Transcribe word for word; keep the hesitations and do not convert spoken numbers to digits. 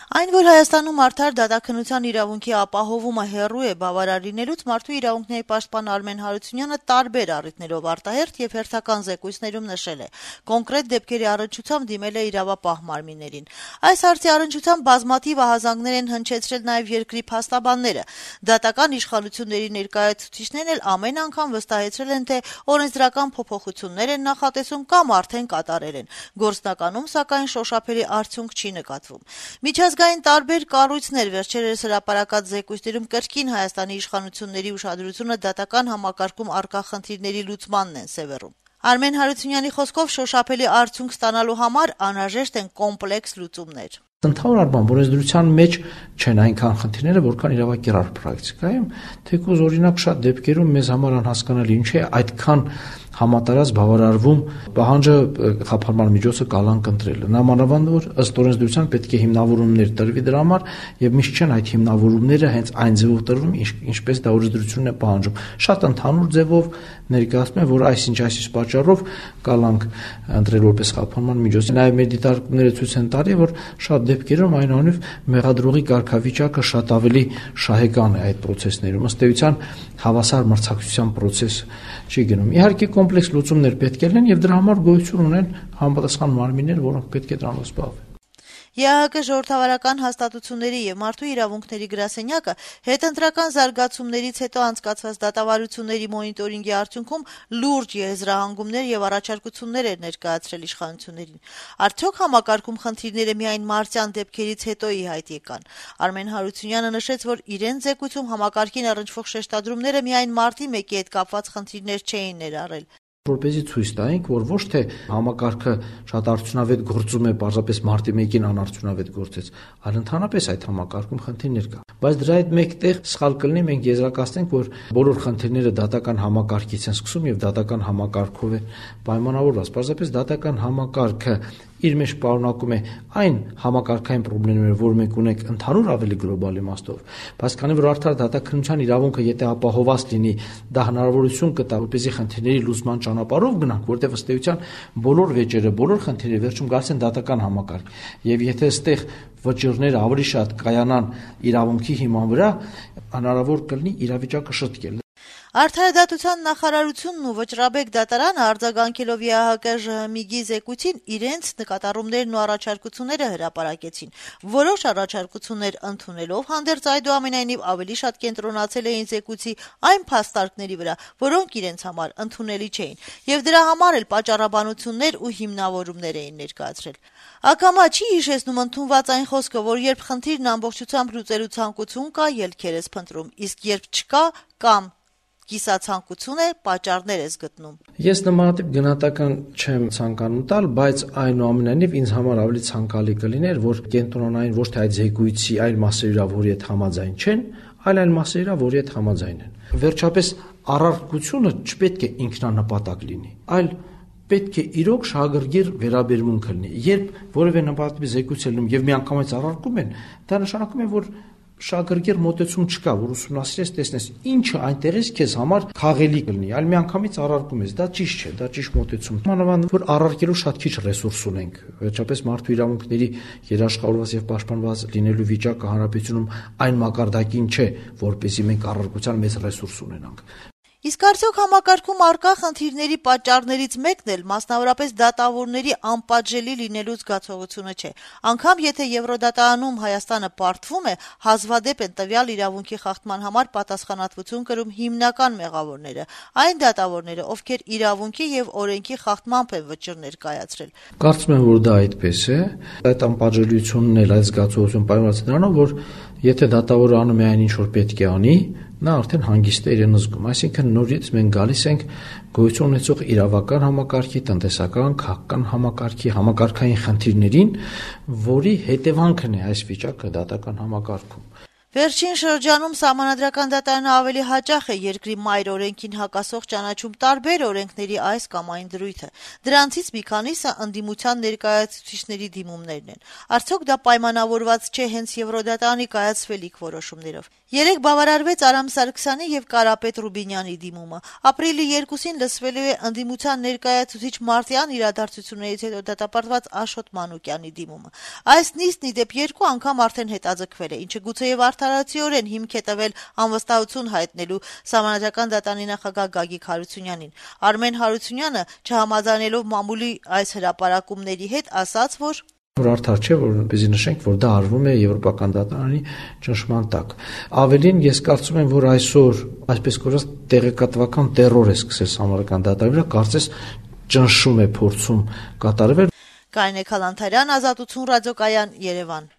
Այն, որ Հայաստանում արդար դատաքննության իրավունքի ապահովումը հեռու է բավարար լինելուց, Մարդու իրավունքների պաշտպան Արմեն Հարությունյանը տարբեր առիթներով արտահերթ եւ հերթական զեկույցներում նշել է. կոնկրետ դեպքերի առնչությամբ դիմել է իրավապահ մարմիններին։ Այս հարցի առնչությամբ բազմաթիվ ահազանգներ են հնչեցրել նաեւ երկրի փաստաբանները։ Դատական իշխանությունների ներկայացուցիչներն էլ ամեն անգամ վստահեցրել են, թե օրենսդրական փոփոխություններ են նախատեսում կամ արդեն կատարել են։ Գործնականում, սակայն, շոշափելի արդյունք չի նկատվում։ Միջազգային տարբեր կառույցներ վերջերս հրապարակած զեկույցներում կրկին Հայաստանի իշխանությունների ուշադրությունը դատական համակարգում առկա խնդիրների լուծմանն են սևեռում։ Արմեն Հարությունյանի խոսքով շոշափելի արդյունք ստանալու համար անհրաժեշտ են կոմպլեքս լուծումներ։ Ընդհանուր առմամբ օրենսդրության մեջ չեն այնքան խնդիրները, որքան իրավակերար պրակտիկայում, թեկուզ օրինակ շատ դեպքերում մեզ համար անհասկանալի ինչ է այդքան համատարած բավարարվում պահանջը խափանման միջոցը կալանք ընտրելը։ Նամանավանդ որ ըստ օրենսդրության պետք է հիմնավորումներ տրվի դրա համար եւ միշտ չեն այդ հիմնավորումները հենց այն ձևով տրվում, ինչպես դա օրենսդրությունն է պահանջում։ Շատ ընդհանուր ձևով ներկայացնում են, որ այսինչ այսինչ պատճառով կալանք ընտրել որպես խափանման միջոց։ Նաեւ մեր դիտարկումները ցույց են տալի, որ շատ դեպքերում այնուհետև մեղադրողի կարգավիճակը շատ ավելի շահեկան է այդ process-ներում։ Ըստ էության հավասար մրցակցության process չի գնում։ Իհարկե կոմպլեքս լուծումներ պետք է լինեն եւ դրա համար գոյություն ունեն համապատասխան մարմիններ, որոնք պետք է դրանով զբաղվեն։ ԵԱՀԿ ժողովրդավարական հաստատությունների եւ Մարդու իրավունքների գրասենյակը հետընտրական զարգացումներից հետո անցկացված դատավարությունների մոնիտորինգի արդյունքում լուրջ եզրահանգումներ եւ առաջարկություններ էր ներկայացրել իշխանություններին։ Արդյոք համակարգում խնդիրները միայն մարտյան դեպքերից հետո ի հայտ եկան։ Արմեն Հարությունյանը նշեց, որ իրեն զեկույցում համակարգին առնչվող շեշտադրումները միայն մարտի մեկի հետ կապված խնդիրներ չէին ներառել։ Որպեսզի ցույց տայինք, որ ոչ թե համակարգը շատ արդյունավետ գործում է, պարզապես մարտի մեկին անարդյունավետ գործեց, այլ ընդհանրապես այդ համակարգում խնդիրներ կա։ Բայց դրա հետ մեկտեղ սխալ կլինի մենք եզրակացնենք, որ բոլոր խնդիրները դատական համակարգից են սկսում եւ դատական համակարգով է պայմանավորված։ Պարզապես դատական համակարգը իր մեջ պարունակում է այն համակարգային խնդիրները, որ մենք ունենք ընդհանուր ավելի գլոբալ իմաստով, բայց քանի որ արդար դատաքննության իրավունքը եթե ապահովված լինի, դա հնարավորություն կտա, որպեսզի խնդիրների լուծման ճանապարհով գնանք, որտեղ ըստ էության բոլոր վեճերը, բոլոր խնդիրները վերջում գալիս են դատական համակարգ։ Եվ եթե այստեղ վճիռները ավելի շատ կայանան իրավունքի հիման վրա, հնարավոր կլինի իրավիճակը շտկել։ Արդարադատության նախարարությունն ու վճռաբեկ դատարանը արձագանքելով ԵԱՀԿ ԺՀՄԻԳ-ի զեկույցին իրենց նկատառումներն ու առաջարկությունները հրապարակեցին։ Որոշ առաջարկություններ ընդունելով հանդերձ այդուամենայնիվ ավելի շատ կենտրոնացել էին զեկույցի այն փաստարկների վրա, որոնք իրենց համար ընդունելի չէին, եւ դրա համար էլ պատճառաբանություններ ու հիմնավորումներ էին ներկայացրել։ Ակամա չի հիշեցնում ընդունված այն խոսքը, որ երբ խնդիրն ամբողջությամբ լուծելու ցանկություն կա, ելքեր ես փնտրում, իսկ երբ չկա կամ կիսացանկություն է, պատճառներ ես գտնում։ Ես նմանատիպ գնահատական չեմ ցանկանում տալ, բայց այնուամենայնիվ ինձ համար ավելի ցանկալի կլիներ, որ կենտրոնային ոչ թե այդ զեկույցի այլ մասերի վրա, որի հետ համաձայն չեն, այլ այլ մասերի վրա, որի հետ համաձայն են։ Վերջապես առարկությունը չպետք է ինքնանպատակ լինի, այլ պետք է իրոք շահագրգիռ վերաբերմունք լինի։ Երբ որևէ նպատակի զեկույց է լինում եւ միանգամից առարկում են, դա նշանակում է, որ շահագրգիռ մոտեցում չկա, որ ուսումնասիրես, տեսնես ինչը այնտեղից քեզ համար խաղելի կլինի, այլ միանգամից առարկում ես, դա ճիշտ չէ, դա ճիշտ մոտեցում։ Մանավանդ որ առարկելու շատ քիչ ռեսուրս ունենք, վերջապես մարդու իրավունքների երաշխավորված եւ պաշտպանված լինելու վիճակը հանրապետությունում այն մակարդակին չէ, որպեսզի մենք առարկության մեծ ռեսուրս ունենանք։ Իսկ արդյոք համակարգում առկա խնդիրների պատճառներից մեկն էլ մասնավորապես դատավորների անպատժելի լինելու զգացողությունը չէ։ Անկամ եթե Եվրոդատանում Հայաստանը պարտվում է, հազվադեպ են տվյալ իրավունքի խախտման համար պատասխանատվություն կրում հիմնական մեղավորները, այն դատավորները, ովքեր իրավունքի եւ օրենքի խախտմամբ են վճիռներ կայացրել։ Կարծում եմ, որ դա այդպես է։ Այդ անպատժելիությունն էլ այդ զգացողություն պայմանավորված է դրանով, որ եթե դատավորը անում է այն, ինչ որ պետք է անի, նա արդեն հանգիստ է իրեն զգում, այսինքն նորից մենք գալիս ենք գոյություն ունեցող իրավական համակարգի, տնտեսական, քաղաքական համակարգի, համակարգային խնդիրներին, որի հետևանքն է այս վիճակը դատական համակարգում։ Վերջին շրջանում Սահմանադրական դատարանը ավելի հաճախ է երկրի մայր օրենքին հակասող ճանաչում տարբեր օրենքների այս կամ այն դրույթը։ Դրանցից մի քանիսը ընդդիմության ներկայացուցիչների դիմումներն են։ Արդյոք դա պայմանավորված չէ հենց Եվրոդատարանի կայացվելիք որոշումներով։ Երեկ բավարարվեց Արամ Սարգսյանի եւ Կարապետ Ռուբինյանի դիմումը։ Ապրիլի երկուսին լսվելու է ընդդիմության ներկայացուցիչ Մարտյան իրադարձություններից հետո դատապարտված Աշոտ Մանուկյանի դիմումը։ Այս նիստն ի դեպ երկու անգամ արդեն հետաձգվել է, ինչը գուցեև արդարացիորեն հիմք է տվել անվստահություն հայտնելու Սահմանադրական դատանի նախագահ Գագիկ Հարությունյանին։ Արմեն Հարությունյանը, չհամաձայնելով մամուլի այս հրապարակումների հետ, ասաց, որ որ արդար չէ, որպեսզի նշենք, որ դա արվում է Եվրոպական դատարանի ճնշման տակ։ Ավելին, ես կարծում եմ, որ այսօր, այսպես կոչված, տեղեկատվական տերոր է սկսել Սահմանադրական դատարանի վրա, կարծես ճնշում է փորձում կատարվել։ Կարինե Քալանթարյան, Ազատություն ռադիոկայան, Երևան։